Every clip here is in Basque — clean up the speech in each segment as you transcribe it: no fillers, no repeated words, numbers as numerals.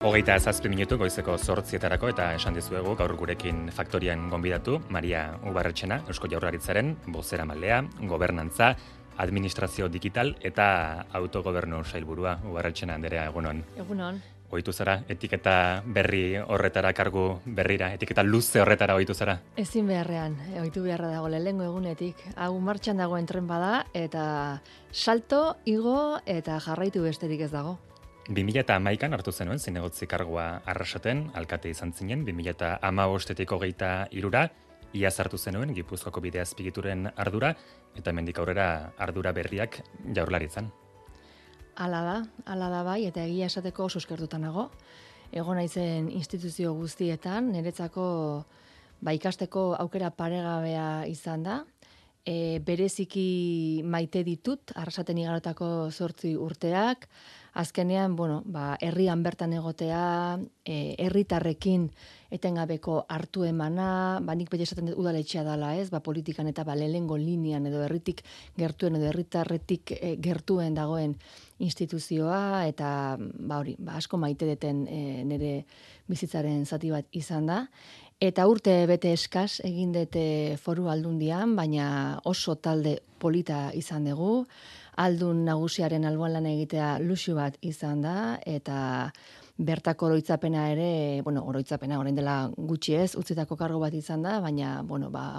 7 minutu goizeko 8etarako eta esan dizuegu gaur gurekin faktorian gonbidatu Maria Ubarretxena, Eusko Jaurlaritzaren bozeramailea, gobernantza, administrazio digital eta autogobernu sailburua. Ubarretxena anderea, egunon. Egunon. Ohitu zara etiketa berri horretara, kargu berrira, etiketa luze horretara ohitu zara? Ezin beharrean, ohitu beharra dago lehengo egunetik. Hau martxan dagoen tren bada eta salto, igo eta jarraitu besterik ez dago. 2011an hartu zenuen zinegotzi kargua Arrasaten, alkate izan zinen, 2015etik 23ra, iaz hartu zenuen Gipuzkoako bide azpigituren ardura, eta hemendik aurrera ardura berriak Jaurlaritzan. Hala da bai, eta egia esateko oso eskertuta nago. Egon naizen instituzio guztietan, niretzako ikasteko aukera paregabea izan da. Bereziki maite ditut, Arrasaten igarotako 8 urteak, azkenean, herrian bertan egotea, herritarrekin etengabeko hartu emana, nik beti esaten dut udaletxea dela, ez? Politikan eta lehengo linean edo herritik gertuen edo herritarretik gertuen dagoen instituzioa eta asko maite deten nire bizitzaren zati bat izan da. Eta urte bete eskas egin dute Foru Aldundian, baina oso talde polita izan dugu. Aldun nagusiaren alboan lan egitea luxu bat izan da, eta bertako oroitzapena ere, oroitzapena orain dela gutxi ez, utzitako kargo bat izan da, baina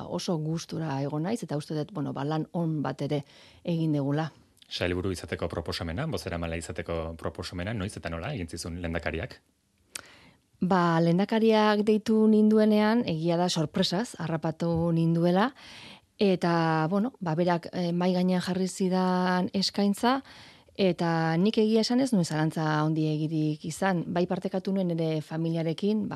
oso gustura egon naiz, eta uste dut lan on bat ere egin degula. Sailburu izateko proposamena, bozeramaile izateko proposamena, noiz eta nola egin zizun lehendakariak? Lehendakariak deitu ninduenean, egia da sorpresaz, harrapatu ninduela, eta, berak mai gainean jarri zidan eskaintza, eta nik egia esan ez nuen zalantza handiegirik izan, partekatu nuen ere familiarekin,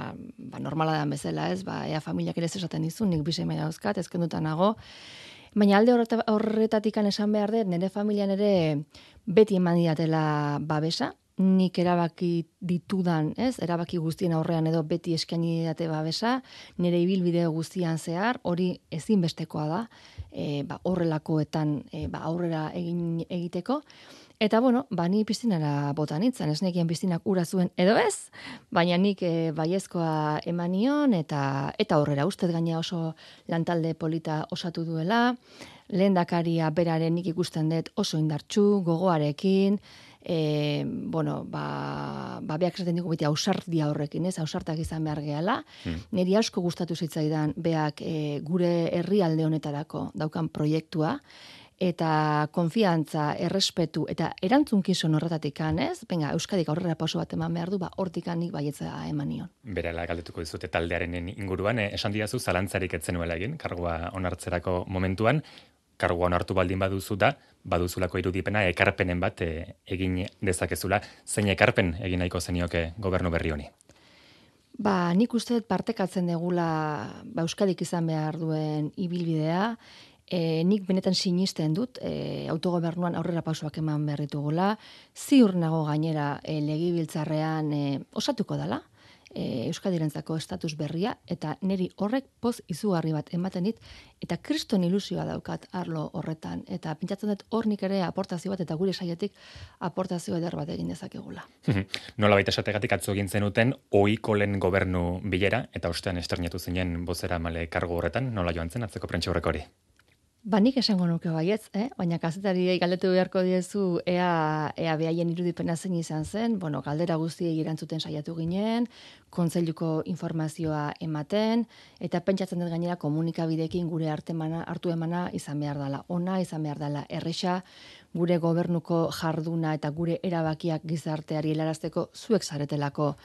normala da bezala ez, ea familiak ere esaten dizun, nik 2 seme dauzkat, ezkenduta nago, baina alde horretatik esan behar dut, nire familian ere beti eman didatela babesa, nik erabaki ditudan, erabaki guztien aurrean edo beti eskaini didate babesa, nire ibilbide guztian zehar, hori ezinbestekoa da, horrelakoetan aurrera egiteko. Eta ni piztinara bota nintzen, ez nekien piztinak ura zuen edo ez, baina nik baiezkoa eman nion eta aurrera ustez gaina oso lantalde polita osatu duela, lehendakaria beraren nik ikusten dut oso indartsu, gogoarekin, beak esaten dugu beti ausardia horrekin, ausartak izan behar gehala. Niri asko gustatu zitzaidan beak gure herrialde honetarako daukan proiektua, eta konfiantza, errespetu eta erantzunkizun horretatik Euskadik aurrera pauso bat eman behar du, hortik nik baietza eman nion. Berala galdetuko dizute taldearen inguruan, esan didazu zalantzarik ez zenuela egin, kargua onartzerako momentuan, kargua onartu baldin baduzulako irudipena ekarpenen bat egin dezakezula. Zein ekarpen egin nahiko zenioke gobernu berri honi? Nik uste partekatzen degula Euskadik izan behar duen ibilbidea, nik benetan sinisten dut autogobernuan aurrera pausoak eman behar ditugula, ziur nago gainera legebiltzarrean osatuko dela, Euskadirentzako estatus berria, eta niri horrek poz izugarri bat ematen dit, eta kriston ilusioa daukat arlo horretan, eta pentsatzen dut hor nik ere aportazio bat, eta gure saietik aportazio eder bat egin dezakegula. Nola baita esategatik atzo egin zenuten, ohiko lehen gobernu bilera, eta ostean esternetu zinen bozeramaile kargu horretan, nola joan zen atzeko prentsaurreko hori? Nik esango nuke baietz, baina kazetariei galdetu beharko diezu ea behaien irudipena zein izan zen, galdera guztiei erantzuten saiatu ginen, kontseiluko informazioa ematen, eta pentsatzen dut gainera komunikabideekin gure hartu emana izan behar dela ona, izan behar dela erresa, gure gobernuko jarduna eta gure erabakiak gizarteari helarazteko zuek zaretelako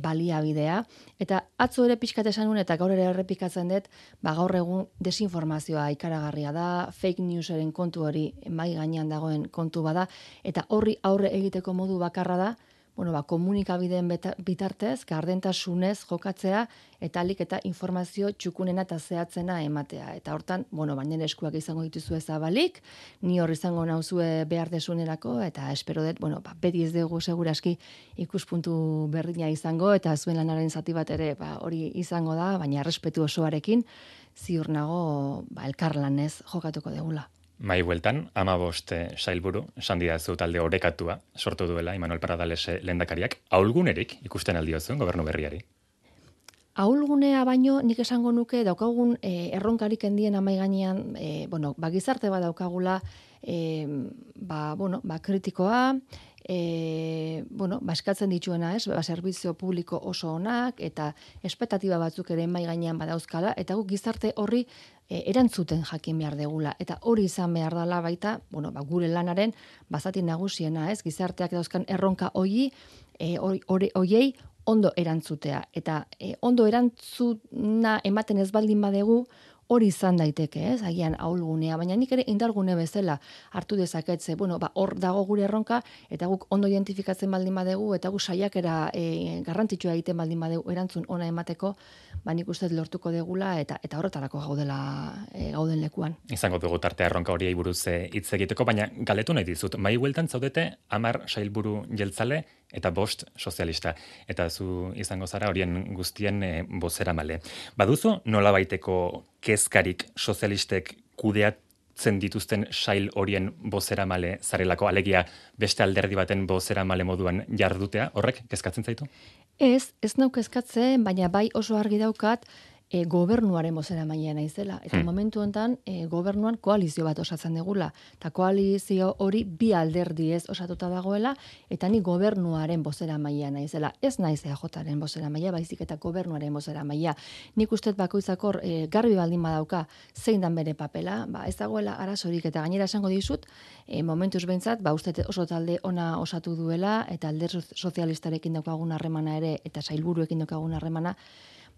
baliabidea, eta atzo ere pixkat esan nuen, eta gaur ere errepikatzen dut, gaur egun desinformazioa ikaragarria da, fake newsaren kontu hori mai gainean dagoen kontu bada, eta horri aurre egiteko modu bakarra da, komunikabideen bitartez, gardentasunez jokatzea, eta alik eta informazio txukunena eta zehatzena ematea. Eta hortan, baina eskuak izango dituzu zabalik, ni hor izango nauzue behar desunerako, eta espero dut, beti ez dugu seguraski ikuspuntu berdina izango, eta zuen lanaren zati bat ere hori izango da, baina errespetu osoarekin, ziur nago elkarlanez jokatuko degula. Mai bueltan, 15 sailburu, esan didazu talde orekatua sortu duela, Imanol Paradales lehendakariak, ahulgunerik ikusten aldiozuen gobernu berriari. Ahulgunea baino nik esango nuke daukagun erronkarik handien amai gainean, gizarte bat daukagula, kritikoa, eskatzen dituena, zerbizio publiko oso onak eta espektatiba batzuk ere mai gainean badauzkala eta guk gizarte horri erantzuten jakin behar degula eta hori izan behar dela baita, gure lanaren bazati nagusiena, gizarteak dauzkan erronka hoiei ondo erantzutea. Eta ondo erantzuna ematen ez baldin badegu, hori izan daiteke, agian ahulgunea, baina nik ere indargune bezala hartu dezaketze, hor dago gure erronka, eta guk ondo identifikatzen baldin badegu, eta guk saiakera garrantzitsua egiten baldin badegu erantzun ona emateko, nik uste lortuko degula, eta horretarako gauden lekuan. Izango dugu tartea erronka horiei buruz hitz egiteko, baina galetu nahi dizut, mai bueltan zaudete 10 sailburu jeltzale, eta 5 sozialista. Eta zu izango zara horien guztien bozeramale. Baduzu nolabaiteko kezkarik sozialistek kudeatzen dituzten sail horien bozeramale zarelako, alegia beste alderdi baten bozeramale moduan jardutea, horrek kezkatzen zaitu? Ez nau kezkatzen, baina bai oso argi daukat gobernuaren bozeramailea naizela. Eta momentu honetan gobernuan koalizio bat osatzen degula. Eta koalizio hori bi alderdi ez osatuta dagoela, eta ni gobernuaren bozeramailea naizela. Ez naiz EAJaren bozeramailea, baizik eta gobernuaren bozeramailea. Nik uste bakoitzak garbi baldin badauka zein dan bere papela, ez dagoela arazorik eta gainera esango dizut, momentuz behintzat, uste oso talde ona osatu duela, eta alderdi sozialistarekin daukagun harremana ere, eta sailburuekin daukagun harremana,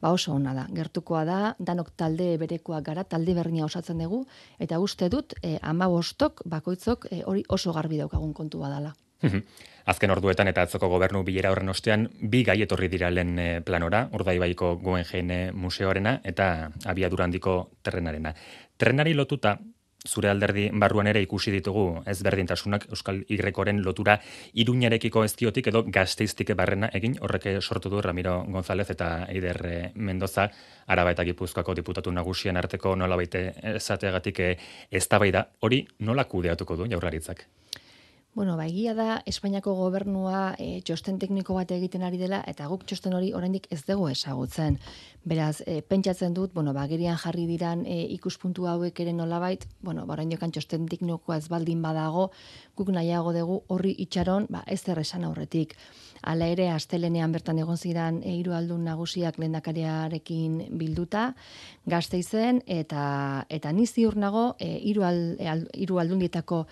oso ona da, gertukoa da, danok talde berekoak gara, talde berdina osatzen dugu, eta uste dut 15 bakoitzok hori oso garbi daukagun kontu badala. Azken orduetan eta atzoko gobernu bilera horren ostean, bi gai etorri dira lehen planora, Urdaibaiko Guggenheim museoarena eta abiadura handiko trenarena. Trenari lotuta, zure alderdi barruan ere ikusi ditugu ezberdintasunak Euskal Y-koren lotura Iruñarekiko ezkiotik edo Gasteiztik barrena egin, horrek sortu du Ramiro González eta Eider Mendoza, Araba eta Gipuzkoako diputatu nagusien arteko nolabait esateagatik eztabaida, hori nola kudeatuko du Jaurlaritzak? Egia da, Espainiako gobernua txosten tekniko bat egiten ari dela, eta guk txosten hori oraindik ez dugu ezagutzen. Beraz, pentsatzen dut, gerian jarri diran ikuspuntu hauek ere nolabait, oraindik txosten teknikoa ez baldin badago, guk nahiago dugu horri itxaron, ez esan aurretik. Hala ere, astelenean bertan egon zidan hiru aldun nagusiak lehendakariarekin bilduta, Gasteizen, eta ni ziur nago hiru aldundietako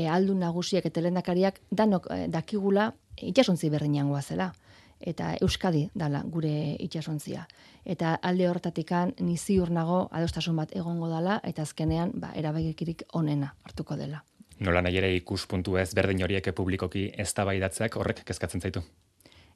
aldun nagusiak eta lehendakariak danok dakigula itsasontzi berdinean goazela. Eta Euskadi dala gure itsasontzia. Eta alde hortatikan ni ziur nago adostasun bat egongo dala eta azkenean erabakirik onena hartuko dela. Nola nahi ere ikuspuntu ez berdin horiek publikoki eztabaidatzeak horrek kezkatzen zaitu?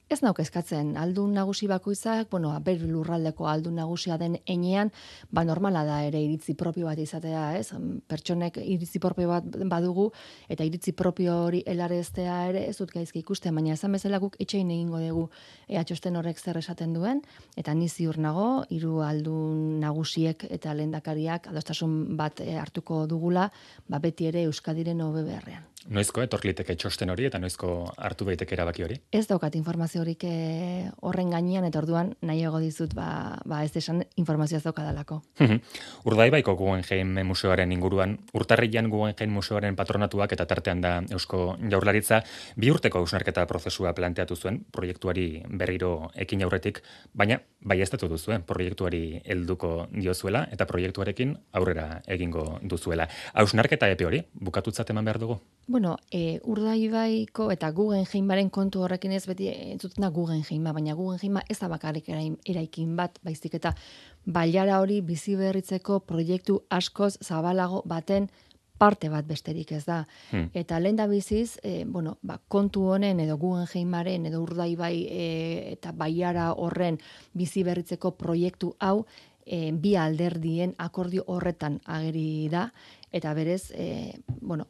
Ez nauk eskatzen, aldun nagusi bakoitzak, ber lurraldeko aldun nagusia den enean, normala da ere iritzi propio bat izatea, ez? Pertsonek iritzi propio bat badugu, eta iritzi propio hori helareztea ere ez dut gaizki ikusten, baina esan bezala guk etxein egingo dugu txosten horrek zer esaten duen, eta ni ziur nago, hiru aldun nagusiek eta lehendakariak adostasun bat hartuko dugula, beti ere Euskadiren hobe beharrean. Noizko etorliteke txosten hori eta noizko hartu daiteke erabaki hori? Ez daukat informazio horik horren gainean eta orduan nahiago dizut ez desan informazioa daukadalako. Urdaibaiko Guggenheim museoaren inguruan, urtarrian Guggenheim museoaren patronatuak eta tartean da Eusko Jaurlaritza 2 urteko hausnarketa prozesua planteatu zuen proiektuari berriro ekin aurretik, baina baieztatu duzuen proiektuari helduko diozuela eta proiektuarekin aurrera egingo duzuela. Hausnarketa epe hori bukatutzat eman behar dugu? Urdaibaiko eta Guggenheimaren kontu horrekin ez beti entzuten da Guggenheima, baina Guggenheima ez da bakarrik eraikin bat, baizik eta bailara hori bizi berritzeko proiektu askoz zabalago baten parte bat besterik ez da. Eta lehen da biziz, kontu honen edo Guggenheimaren edo Urdaibai eta baiara horren bizi berritzeko proiektu hau bi alderdien akordio horretan ageri da, eta berez,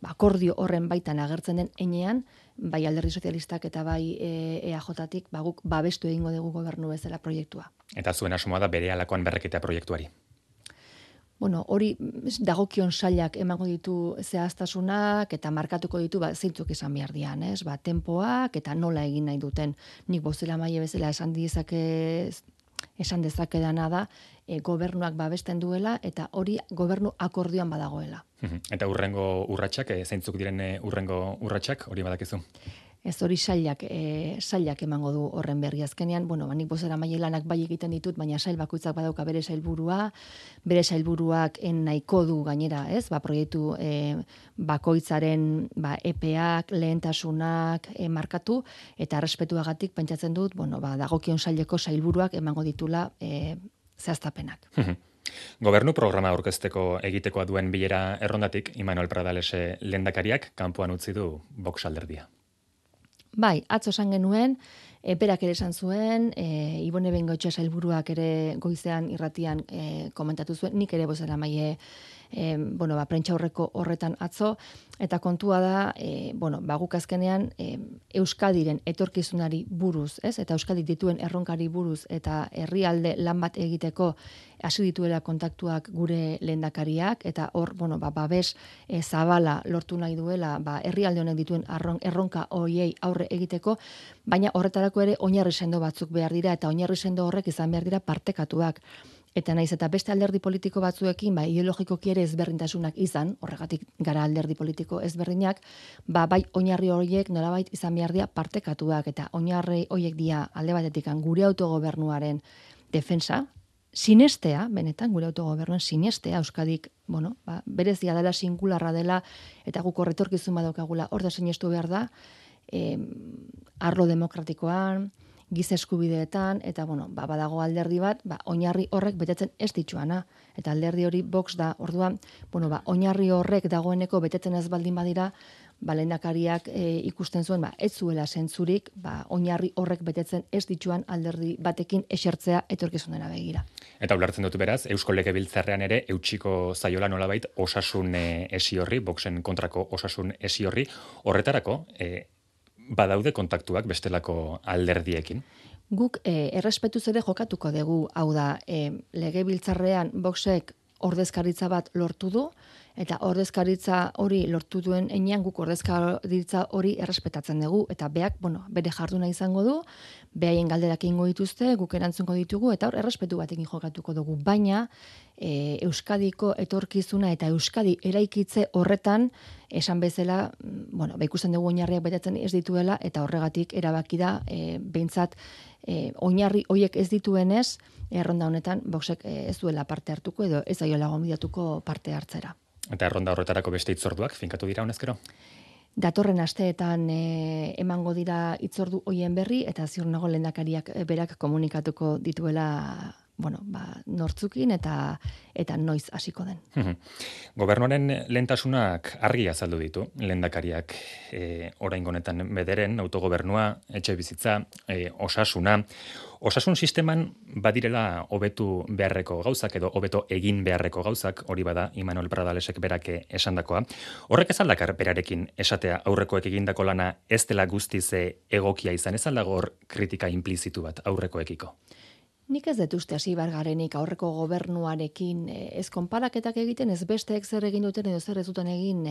akordio horren baitan agertzen den enean, bai alderdi sozialistak eta bai EAJtik, guk babestu egingo dugu gobernu bezala proiektua. Eta zuen asmoa da bere alakoan berreketa proiektuari? Bueno, hori dagokion sailak emango ditu zehaztasunak eta markatuko ditu zeintzuk izan behar dian, ez? Tempoak eta nola egin nahi duten. Nik bozeramaile bezala esan dezakedana da gobernuak babesten duela eta hori gobernu akordioan badagoela. Eta urrengo urratsak, zeintzuk diren urrengo urratsak, hori badakizu? Ez hori sailak emango du horren berri azkenean. Bueno, nik bozeramaile lanak bai egiten ditut, baina sail bakoitzak badauka bere sailburuak nahiko du gainera, ez? Proiektu bakoitzaren epeak, lehentasunak markatu eta errespetuagatik pentsatzen dut, dagokion saileko sailburuak emango ditula zehaztapenak. Gobernu programa aurkezteko egitekoa duen bilera errondatik, Imanol Pradales lehendakariak kanpoan utzi du Vox alderdia. Bai, atzo esan genuen, berak ere esan zuen, Ibone Bengoetxea sailburuak ere goizean irratian komentatu zuen, nik ere bozeramaile prentsa aurreko horretan atzo, eta kontua da, guk azkenean Euskadiren etorkizunari buruz, ez? Eta Euskadik dituen erronkari buruz, eta herrialde lan bat egiteko hasi dituela kontaktuak gure lehendakariak, eta hor, babes zabala lortu nahi duela, herrialde honek dituen erronka hoiei aurre egiteko, baina horretarako ere oinarri sendo batzuk behar dira, eta oinarri sendo horrek izan behar dira partekatuak. Eta naiz eta beste alderdi politiko batzuekin, ideologikoki ere ezberdintasunak izan, horregatik gara alderdi politiko ezberdinak, bai oinarri horiek nolabait izan behar dira partekatuak, eta oinarri horiek dira alde batetik gure autogobernuaren defensa, sinestea, benetan gure autogobernuan sinestea, Euskadik, berezia dela, singularra dela, eta guk horretorkizun badaukagula, hor da sinestu behar da, arlo demokratikoan, giza eskubideetan, eta badago alderdi bat, oinarri horrek betetzen ez dituana. Eta alderdi hori Vox da, orduan, oinarri horrek dagoeneko betetzen ez baldin badira, lehendakariak ikusten zuen, ez zuela zentzurik, oinarri horrek betetzen ez dituan alderdi batekin esertzea etorkizunera begira. Eta ulertzen dut beraz, Eusko Legebiltzarrean ere eutsiko zaiola nolabait osasun esi horri, Voxen kontrako osasun esi horri, horretarako, badaude kontaktuak bestelako alderdiekin? Guk errespetuz ere jokatuko dugu, hau da, Legebiltzarrean Voxek ordezkaritza bat lortu du, eta ordezkaritza hori lortu duen enean guk ordezkaritza hori errespetatzen dugu, eta beak, bere jarduna izango du, behaien galderak egingo dituzte, guk erantzungo ditugu, eta hor errespetu batekin jokatuko dugu, baina Euskadiko etorkizuna eta Euskadi eraikitze horretan, esan bezala, ikusten dugu oinarriak betetzen ez dituela, eta horregatik erabaki da, behintzat, oinarri horiek ez dituenez, erronda honetan, Voxek ez duela parte hartuko, edo ez aiola gonbidatuko parte hartzera. Eta erronda horretarako beste hitzorduak finkatu dira honezkero? Datorren asteetan emango dira hitzordu hoien berri, eta ziur nago lehendakariak berak komunikatuko dituela nortzukin eta noiz hasiko den. Gobernuaren lehentasunak argi azaldu ditu, lehendakariak oraingo honetan bederen, autogobernua, etxe bizitza, osasuna. Osasun sisteman badirela hobetu beharreko gauzak edo hobeto egin beharreko gauzak, hori bada Imanol Pradalesek berak esandakoa. Horrek ez aldakar berarekin esatea aurrekoek egindako lana ez dela guztiz egokia izan, ez aldago hor kritika implizitu bat aurrekoekiko? Nik ez dut uste hasi bargarenik aurreko gobernuarekin ez konparaketak egiten, ez besteek zer egin duten edo zer ez duten egin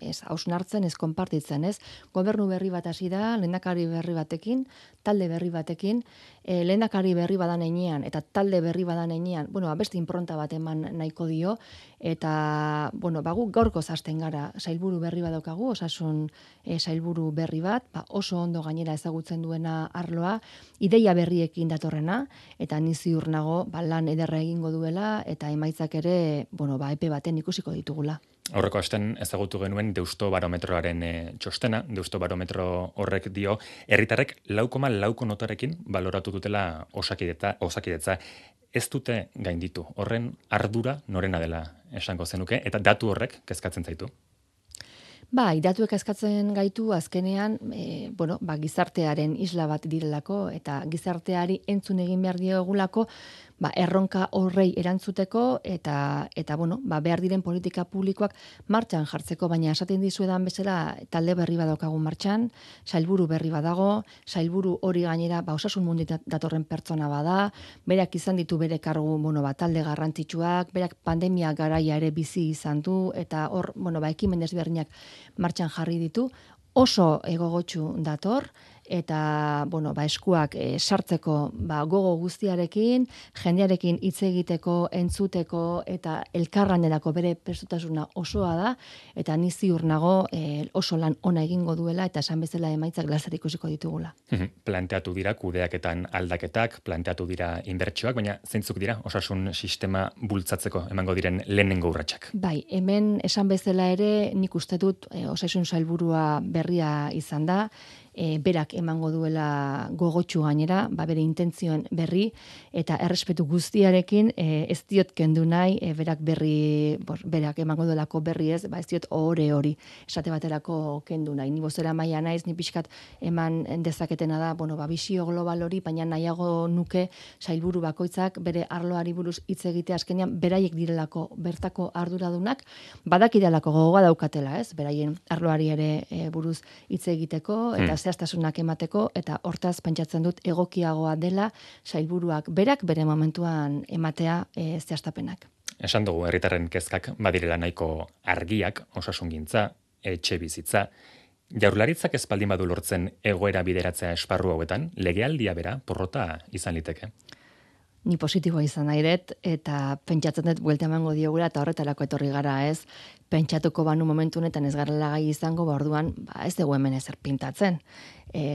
ez hausnartzen, ez konpartitzen, ez? Gobernu berri bat hasi da, lehendakari berri batekin, talde berri batekin, lehendakari berri badan heinean eta talde berri badan heinean, beste inpronta bat eman nahiko dio, eta, guk gaurko hasten gara, sailburu berri bat daukagu, osasun sailburu berri bat, oso ondo gainera ezagutzen duena arloa, ideia berriekin datorrena, eta ni ziur nago lan ederra egingo duela eta emaitzak ere, epe baten ikusiko ditugula. Aurreko astean ezagutu genuen Deusto Barometroaren txostena, Deusto Barometro horrek dio, herritarrek 4,4 notarekin baloratu dutela osakidetza. Ez dute gainditu, horren ardura norena dela esango zenuke, eta datu horrek kezkatzen zaitu? Bai, datuek eskatzen gaitu azkenean, gizartearen isla bat direlako eta gizarteari entzun egin behar diogulako, erronka horrei erantzuteko eta bueno, behar diren politika publikoak martxan jartzeko, baina esaten dizuedan bezala talde berri badaukagun martxan, sailburu berri badago, sailburu hori gainera osasun mundutik datorren pertsona bada, berak izan ditu bere kargu, talde garrantzitsuak, berak pandemia garaia ere bizi izan du eta hor, ekimen desberdinak martxan jarri ditu, oso gogotsu dator eta eskuak sartzeko gogo guztiarekin, jendearekin hitz egiteko, entzuteko eta elkarlanerako bere prestutasuna osoa da eta ni ziur nago oso lan ona egingo duela eta esan bezala emaitzak laster ikusiko ditugula. Planteatu dira kudeaketan aldaketak, planteatu dira inbertsioak, baina zeintzuk dira osasun sistema bultzatzeko emango diren lehenengo urratsak? Bai, hemen esan bezala ere nik uste dut osasun sailburua berria izan da, berak emango duela gogotsu gainera, bere intentzioen berri eta errespetu guztiarekin ez diot kendu nahi, berak emango duelako berri ez diot hori esate baterako kendu nahi. Ni bozera maila naiz, ni pixkat eman dezaketena da, bisio global hori, baina nahiago nuke sailburu bakoitzak bere arloari buruz hitz egitea azkenean beraiek direlako bertako arduradunak, badakidalako gogoa daukatela, ez? Beraien arloari ere buruz hitz egiteko eta zehaztasunak emateko eta hortaz pentsatzen dut egokiagoa dela sailburuak berak bere momentuan ematea zehaztapenak. Esan dugu herritarren kezkak badirela nahiko argiak, osasungintza, etxe bizitza. Jaurlaritzak ez baldin badu lortzen egoera bideratzea esparru hauetan, legealdia bera porrota izan liteke. Ni positiboa izan nahi dut eta pentsatzen dut buelta emango diogula eta horretarako etorri gara, ez? Pentsatuko banu momentu honetan ez garela gai izango, orduan ez dugu hemen ezer pintatzen.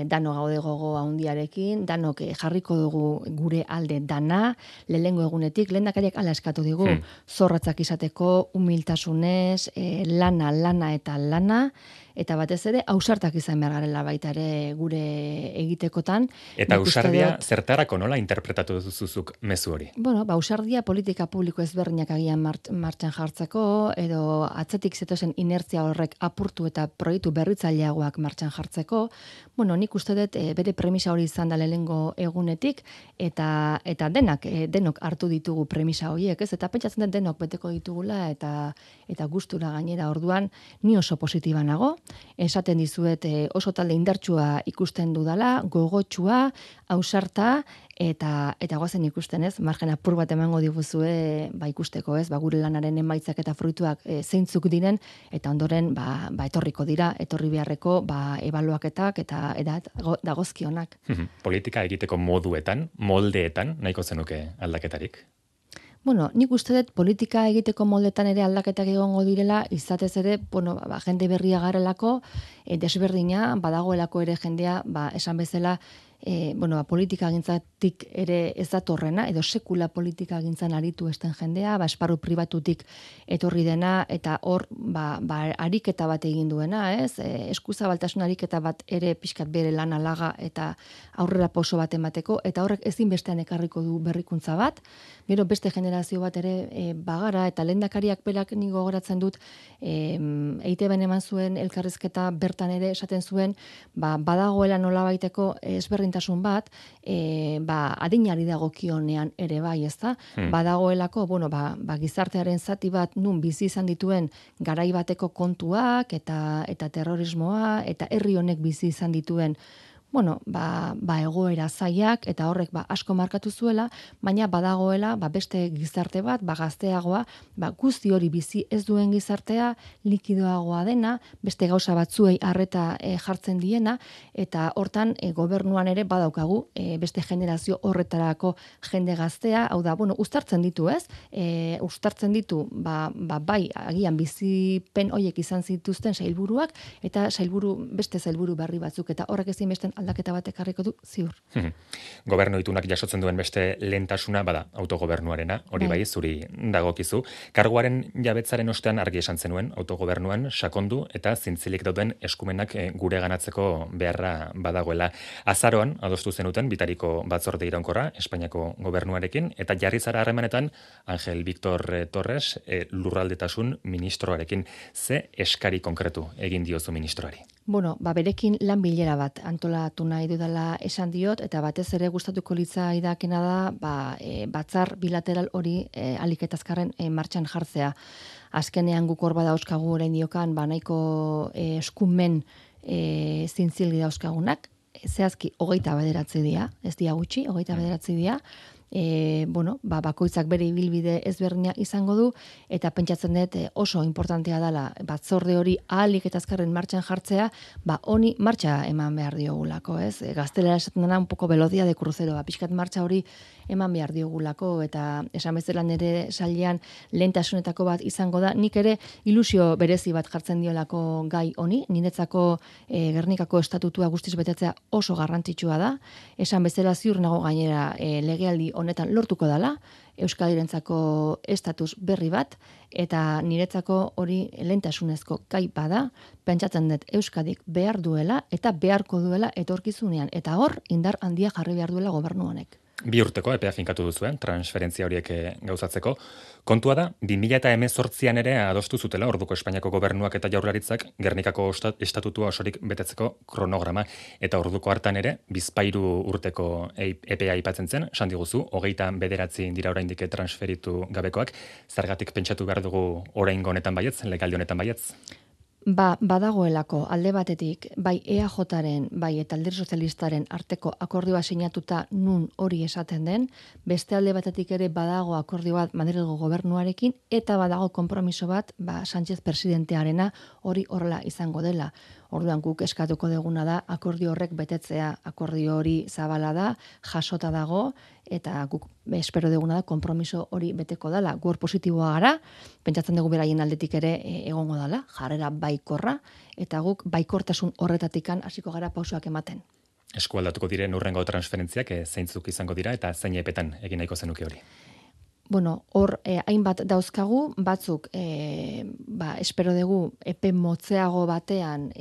Dano gaude gogo handiarekin, danok jarriko dugu gure alde dana, lehengo egunetik, lehendakariak hala eskatu digu, zorratzak izateko, humiltasunez, lana eta lana, eta batez ere, ausartak izan behar garela baita ere gure egitekotan. Eta ausardia zertarako nola interpretatu duzuzuk mezu hori? Ausardia politika publiko ezberdinak agian martxan jartzeko, edo atzetik zetozen inertzia horrek apurtu eta proiektu berritzaileagoak martxan jartzeko, nik uste dut bere premisa hori izan da lehengo egunetik, eta denok hartu ditugu premisa horiek, ez? Eta pentsatzen dut denok beteko ditugula, eta gustura gainera orduan, ni oso positiba nago, esaten dizuet oso talde indartsua ikusten dudala, gogotsua, ausarta, eta goazen ikusten, ez? Margen apur bat emango diguzue ikusteko, ez? Gure lanaren emaitzak eta fruituak zeintzuk diren, eta ondoren etorriko dira, etorri beharreko ebaluaketak eta dagozkionak. Politika egiteko moduetan, moldeetan, nahiko zenuke aldaketarik? Nik uste dut politika egiteko moldetan ere aldaketak egongo direla, izatez ere, jende berria garelako, desberdina, badagoelako ere jendea, esan bezala, politika gintzatik ere ez datorrena, edo sekula politika gintzan aritu esten jendea, esparru pribatutik etorri dena, eta hor, ariketa bat egin duena, ez? Eskuzabaltasun ariketa bat ere pixkat bere lan alaga eta aurrera pauso bat emateko, eta horrek ezinbestean ekarriko du berrikuntza bat, gero beste generazio bat ere bagara, eta lehendakariak berak ni gogoratzen dut, EITB-en eman zuen elkarrizketa bertan ere esaten zuen, badagoela nolabaiteko ezberdintasun bat, adinari dagokionean ere bai, ezta? Badagoelako, gizartearen zati bat nun bizi izan dituen garai bateko kontuak eta terrorismoa eta herri honek bizi izan dituen egoera zaiak eta horrek asko markatu zuela, baina badagoela beste gizarte bat, gazteagoa, guzti hori bizi ez duen gizartea, likidoagoa dena, beste gauza batzuei arreta jartzen diena, eta hortan gobernuan ere badaukagu beste generazio horretarako jende gaztea, hau da, uztartzen ditu, ez? Uztartzen ditu, bai, agian bizipen hoiek izan zituzten sailburuak, eta beste sailburu berri batzuk, eta horrek ezinbesten aldaketa bat ekarriko du ziur. Gobernu itunak jasotzen duen beste lehentasuna bada autogobernuarena, hori bai zuri dagokizu. Karguaren jabetzaren ostean argi esan zenuen autogobernuan sakondu eta zintzilik dauden eskumenak gure ganatzeko beharra badagoela. Azaroan adostu zenuten bitariko batzorde iraunkorra Espainiako gobernuarekin eta jarri zara harremanetan Angel Victor Torres lurraldetasun ministroarekin. Ze eskari konkretu egin diozu ministroari? Bueno, berekin lan bilera bat antolatu nahi dudala esan diot, eta batez ere gustatuko litzaidakena da, batzar bilateral hori ahalik eta azkarren martxan jartzea. Azkenean guk hor badauzkagu orain diokan, nahiko eskumen zintzilgi dauzkagunak, zehazki 29 dira, ez dira gutxi, 29 dira, bakoitzak bere ibilbide ezberdina izango du, eta pentsatzen dut oso importantea dela batzorde hori ahalik eta azkarren martxan jartzea, honi martxa eman behar diogulako, ez? Gaztelera esaten dena un poco velocidad de crucero, pixkat martxa hori eman behar diogulako, eta esan bezala nire sailean lehentasunetako bat izango da, nik ere ilusio berezi bat jartzen diolako gai honi, niretzako Gernikako estatutua guztiz betetzea oso garrantzitsua da, esan bezala ziur nago gainera legealdi honetan lortuko dela, Euskadirentzako estatus berri bat, eta niretzako hori lehentasunezko gai bada, pentsatzen dut Euskadik behar duela eta beharko duela etorkizunean, eta hor indar handia jarri behar duela gobernu honek. 2 urteko epea finkatu duzuen, transferentzia horiek gauzatzeko. Kontua da, 2018an ere adostu zutela, orduko Espainiako gobernuak eta jaurlaritzak Gernikako estatutua osorik betetzeko kronograma, eta orduko hartan ere, 2 urteko epea aipatzen zen, esan diguzu, 29 dira oraindik transferitu gabekoak, zergatik pentsatu behar dugu oraingo honetan baietz, legaldi honetan baietz? Badagoelako alde batetik, bai EAJaren, bai eta Alderdi Sozialistaren arteko akordioa sinatuta nun hori esaten den, beste alde batetik ere badago akordio bat Madrilgo gobernuarekin, eta badago konpromiso bat, Sánchez presidentearena hori horrela izango dela. Orduan guk eskatuko deguna da akordio horrek betetzea, akordio hori zabala da, jasota dago, eta guk espero deguna da konpromiso hori beteko dela. Gu hor positiboa gara, pentsatzen dugu beraien aldetik ere egongo dela, jarrera baikorra, eta guk baikortasun horretatikan hasiko gara pausoak ematen. Eskualdatuko diren hurrengo transferentziak zeintzuk izango dira, eta zein epetan egin nahiko zenuke hori? Hor hainbat dauzkagu, batzuk espero dugu epe motzeago batean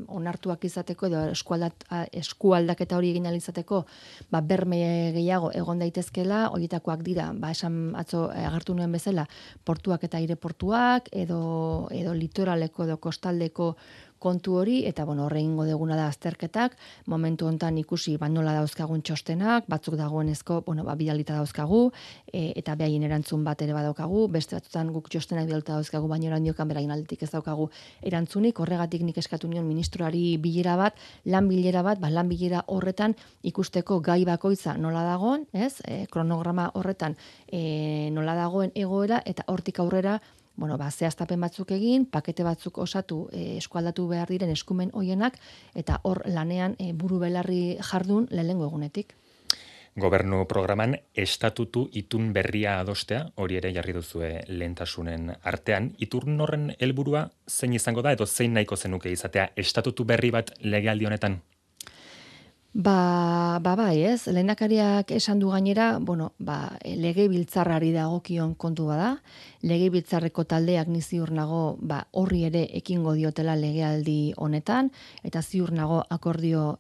onartuak izateko edo eskualdaketa hori egin izateko berme gehiago egon daitezkela, horietakoak dira, esan atzo agertu nuen bezala, portuak eta aireportuak edo litoraleko edo kostaldeko kontu hori, eta horre ingo deguna da azterketak, momentu hontan ikusi nola dauzkagun txostenak, batzuk dagoenezko, bidalita dauzkagu, eta behaien erantzun bat ere badaukagu, beste batzutan guk txostenak bidalita dauzkagu, baina orandiokan beraien aldetik ez daukagu erantzunik, horregatik nik eskatu nion ministroari bilera bat, lan bilera horretan ikusteko gai bakoitza nola dagoen, kronograma horretan nola dagoen egoera, eta hortik aurrera zehaztapen batzuk egin, pakete batzuk osatu, eskualdatu behar diren eskumen hoienak, eta hor lanean buru belarri jardun lehengo egunetik. Gobernu programan estatutu itun berria adostea, hori ere jarri duzue lehentasunen artean. Itun horren helburua zein izango da, edo zein nahiko zenuke izatea estatutu berri bat legealdi honetan? Bai, ez, lehendakariak esan du gainera, legebiltzarrari dagokion kontu bada, legebiltzarreko taldeak ni ziur nago, horri ere ekingo diotela legealdi honetan, eta ziur nago akordio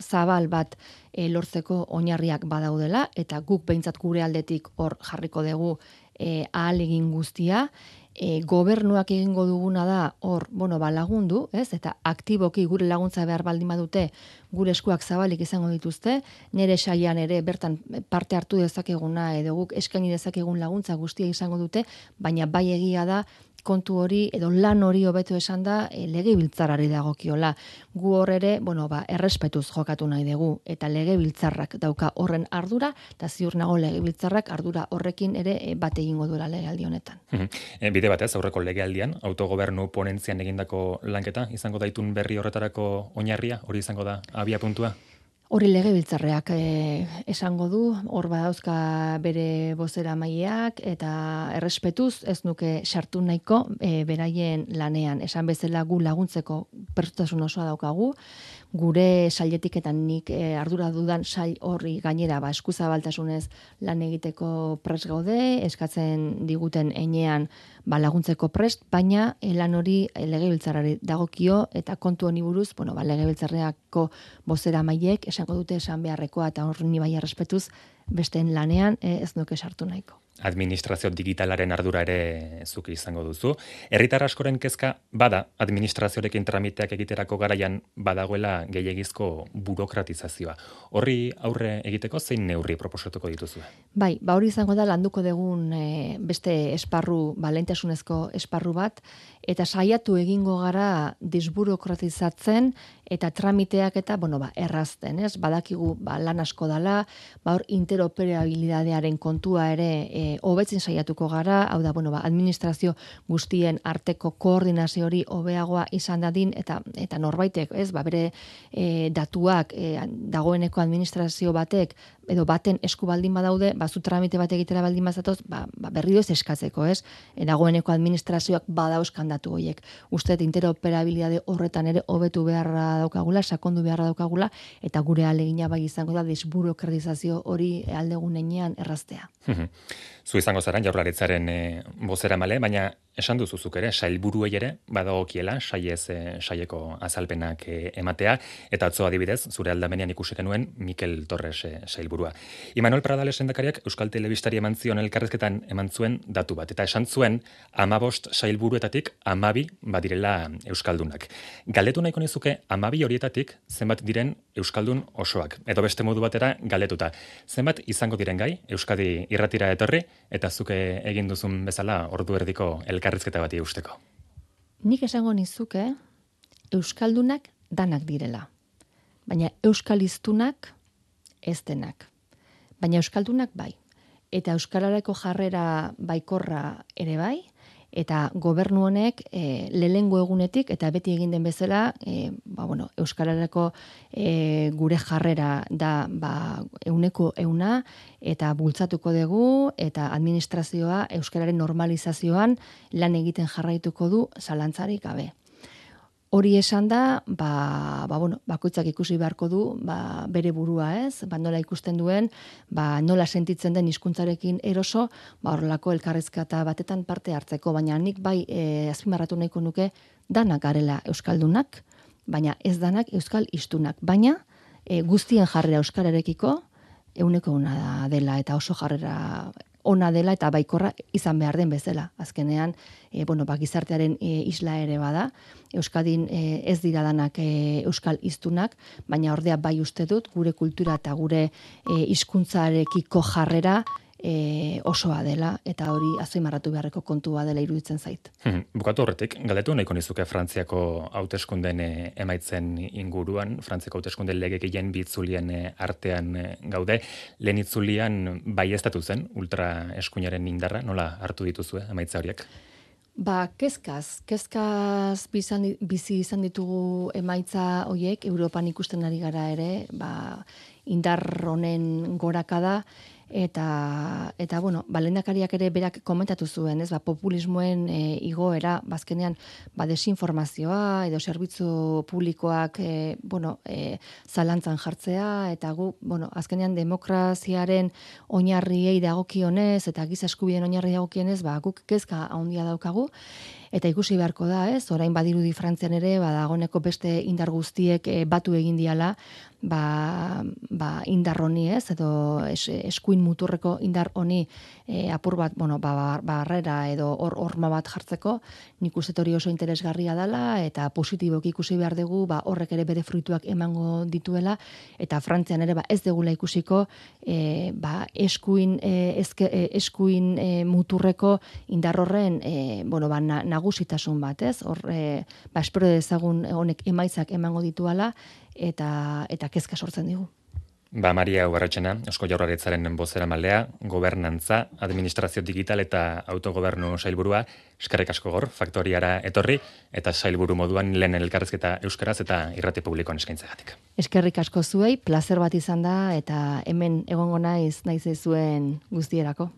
zabal bat lortzeko oinarriak badaudela, eta guk behintzat gure aldetik hor jarriko dugu ahalegin guztia, gobernuak egingo duguna da hor, lagundu, ez? Eta aktiboki gure laguntza behar baldin badute, gure eskuak zabalik izango dituzte, nire saian ere bertan parte hartu dezakeguna edo guk eskaini dezakegun laguntza guztia izango dute, baina bai egia da kontu hori edo lan hori hobeto esan da legebiltzarrari dagokiola. Gu hor ere, errespetuz jokatu nahi dugu, eta legebiltzarrak dauka horren ardura, eta ziur nago legebiltzarrak ardura horrekin ere bat egingo duela legealdi honetan. Bide batez, aurreko legealdian, autogobernu ponentzian egindako lanketa, izango daitun berri horretarako oinarria, hori izango da abia puntua? Hori legebiltzarreak esango du, hor badauzka bere bozera maileak, eta errespetuz ez nuke sartu nahiko beraien lanean. Esan bezala gu laguntzeko prestutasun osoa daukagu, gure sailetik eta nik ardura dudan sail horri gainera eskuzabaltasunez lan egiteko prest gaude, eskatzen diguten heinean laguntzeko prest, baina lan hori legebiltzarrari dagokio, eta kontu honi buruz, legebiltzarreako bozera maileek esango dute esan beharrekoa, eta hor ni bai errespetuz besteen lanean ez nuke sartu nahiko. administrazio digitalaren ardura ere zuk izango duzu. Herritar askoren kezka bada administrazioarekin tramiteak egiterako garaian badagoela gehiegizko burokratizazioa. Horri aurre egiteko zein neurri proposatuko dituzue? Bai, ba hori izango da landuko dugun beste esparru, lehentasunezko esparru bat, eta saiatu egingo gara desburokratizatzen eta tramiteak eta, errazten, ez? Badakigu, lan asko dala, hor interoperabilidadearen kontua ere hobetzen saiatuko gara, hau da, administrazio guztien arteko koordinazio hori hobeagoa izan dadin, eta norbaitek, ez? Bere datuak dagoeneko administrazio batek, edo baten esku baldin badaude, zu tramite bat egitera baldin bazatoz, berriro ez eskatzeko, ez? Dagoeneko administrazioak badauzkan datu horiek. Uste interoperabilidade horretan ere hobetu beharra daukagula, sakondu beharra daukagula, eta gure ahalegina bai izango da desburokratizazio hori aldegunean erraztea. Zu izango zara Jaurlaritzaren bozeramale, baina esan duzuzuk ere, sailburuei ere badagokiela saieko azalpenak ematea, eta atzo adibidez, zure aldamenean ikusi genuen Mikel Torres sailburua. Imanol Pradales lehendakariak Euskal Telebistari eman zion elkarrezketan eman zuen datu bat, eta esan zuen 15 sailburuetatik 12 badirela euskaldunak. Galdetu nahiko nizuke 12 horietatik zenbat diren euskaldun osoak, edo beste modu batera galdetuta. Zenbat izango diren gai, Euskadi irratira etorri, eta zuke egin duzun bezala ordu erdiko elkarrizketa bati eusteko. Nik esango nizuke euskaldunak danak direla. Baina euskaliztunak ez denak. Baina euskaldunak bai. Eta euskararako jarrera baikorra ere bai, eta gobernu honek lehengo egunetik, eta beti egin den bezala, euskararako gure jarrera da 100%, eta bultzatuko dugu, eta administrazioa euskararen normalizazioan lan egiten jarraituko du zalantzarik gabe. Hori esan da, bakoitzak ikusi beharko du, bere burua ez, nola ikusten duen, nola sentitzen den hizkuntzarekin eroso, horrelako elkarrizketa batetan parte hartzeko, baina nik bai azpimarratu nahiko nuke danak garela euskaldunak, baina ez danak euskal hiztunak, baina guztien jarrera euskararekiko 100% dela eta oso jarrera ona dela eta baikorra izan behar den bezala. Azkenean, gizartearen isla ere bada, Euskadin ez dira danak euskal hiztunak, baina ordea bai uste dut gure kultura eta gure hizkuntzarekiko jarrera osoa dela, eta hori azpimarratu beharreko kontua dela iruditzen zait. Bukatu horretik, galdetu nahiko nizuke Frantziako hauteskunden emaitzen inguruan, Frantziako hauteskunden legekien bitzulien artean gaude, lehen itzulian baieztatu zen, ultra eskuinaren indarra, nola hartu dituzue emaitza horiek? Kezkaz bizi izan ditugu emaitza horiek, Europan ikusten ari gara ere, indar honen gorakada, eta lehendakariak ere berak komentatu zuen, ez, populismoen igoera, bazkenean, desinformazioa, edo zerbitzu publikoak, zalantzan jartzea, eta azkenean demokraziaren oinarriei dagokionez, eta giza eskubideen oinarri dagokionez, guk kezka handia daukagu, eta ikusi beharko da, ez, orain badirudi Frantzian ere, dagoeneko beste indar guztiek batu egin diala, indar honi, ez, edo eskuin muturreko indar honi apur bat, barrera edo horma bat jartzeko, nik uste hori oso interesgarria dela, eta positiboki ikusi behar dugu, horrek ere bere fruituak emango dituela, eta Frantzian ere ez degula ikusiko, eskuin muturreko indar horren, nagusitasun bat, ez? Espero dezagun honek emaitzak emango dituala, eta kezka sortzen digu. Maria Ubarretxena, Eusko Jaurlaritzaren bozeramalea, gobernantza, administrazio digital eta autogobernu sailburua, eskerrik asko gaur, faktoriara etorri, eta sailburu moduan lehen elkarrezketa euskaraz eta irrati publikoan eskaintzegatik. Eskerrik asko zuei, plazer bat izan da, eta hemen egongo naiz zuen guztierako.